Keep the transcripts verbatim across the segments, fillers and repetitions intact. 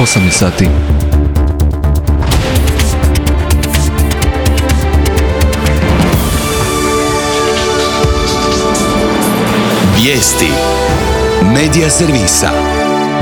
osam je sati. Vijesti Medija servisa.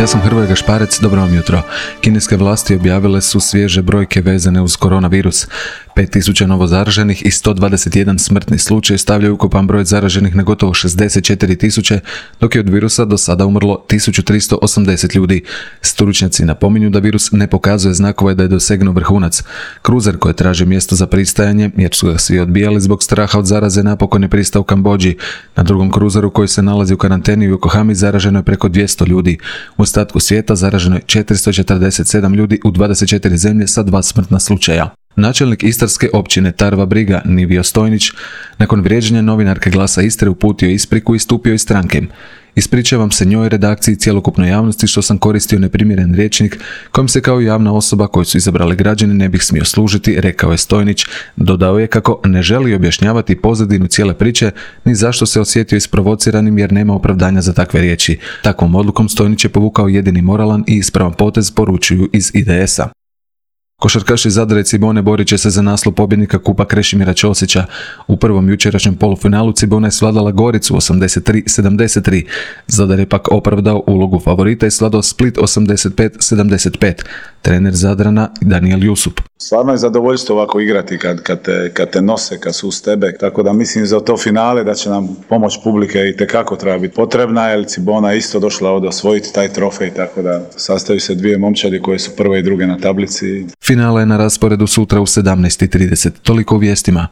Ja sam Hrvoje Gašparec, dobro vam jutro. Kineske vlasti objavile su svježe brojke vezane uz koronavirus. pet tisuća novo zaraženih i sto dvadeset jedan smrtni slučaj stavljaju ukupan broj zaraženih na gotovo šezdeset četiri tisuće, dok je od virusa do sada umrlo tisuću tristo osamdeset ljudi. Stručnjaci napominju da virus ne pokazuje znakove da je dosegnuo vrhunac. Kruzer koji traži mjesto za pristajanje, jer su ga svi odbijali zbog straha od zaraze, napokon je pristao u Kambodži. Na drugom kruzeru koji se nalazi u karanteni u Yokohami zaraženo je preko dvjesto ljudi. U ostatku svijeta zaraženo je četiristo četrdeset sedam ljudi u dvadeset četiri zemlje sa dva smrtna slučaja. Načelnik istarske općine Tarva Briga, Nivio Stojnić, nakon vrijeđanja novinarke Glasa Istre uputio ispriku i stupio iz stranke. Ispričavam se njoj, redakciji i cjelokupnoj javnosti što sam koristio neprimjeren rječnik kojim se kao javna osoba koju su izabrali građani ne bih smio služiti, rekao je Stojnić. Dodao je kako ne želi objašnjavati pozadinu cijele priče ni zašto se osjetio isprovociranim jer nema opravdanja za takve riječi. Takvom odlukom Stojnić je povukao jedini moralan i ispravan potez, poručuju iz I D S-a. Košarkaši Zadra i Cibone borit će se za naslov pobjednika Kupa Krešimira Ćosića. U prvom jučerašnjem polufinalu Cibona je svladala Goricu osamdeset tri sedamdeset tri. Zadar je pak opravdao ulogu favorita i svladao Split osamdeset pet sedamdeset pet. Trener Zadrana Daniel Jusup. Stvarno je zadovoljstvo ovako igrati kad, kad, te, kad te nose, kad su uz tebe. Tako da mislim za to finale da će nam pomoć publike i tekako treba biti potrebna, jer Cibona je isto došla ovdje osvojiti taj trofej, tako da sastaju se dvije momčadi koje su prve i druge na tablici. Finale je na rasporedu sutra u sedamnaest i trideset. Toliko u vijestima.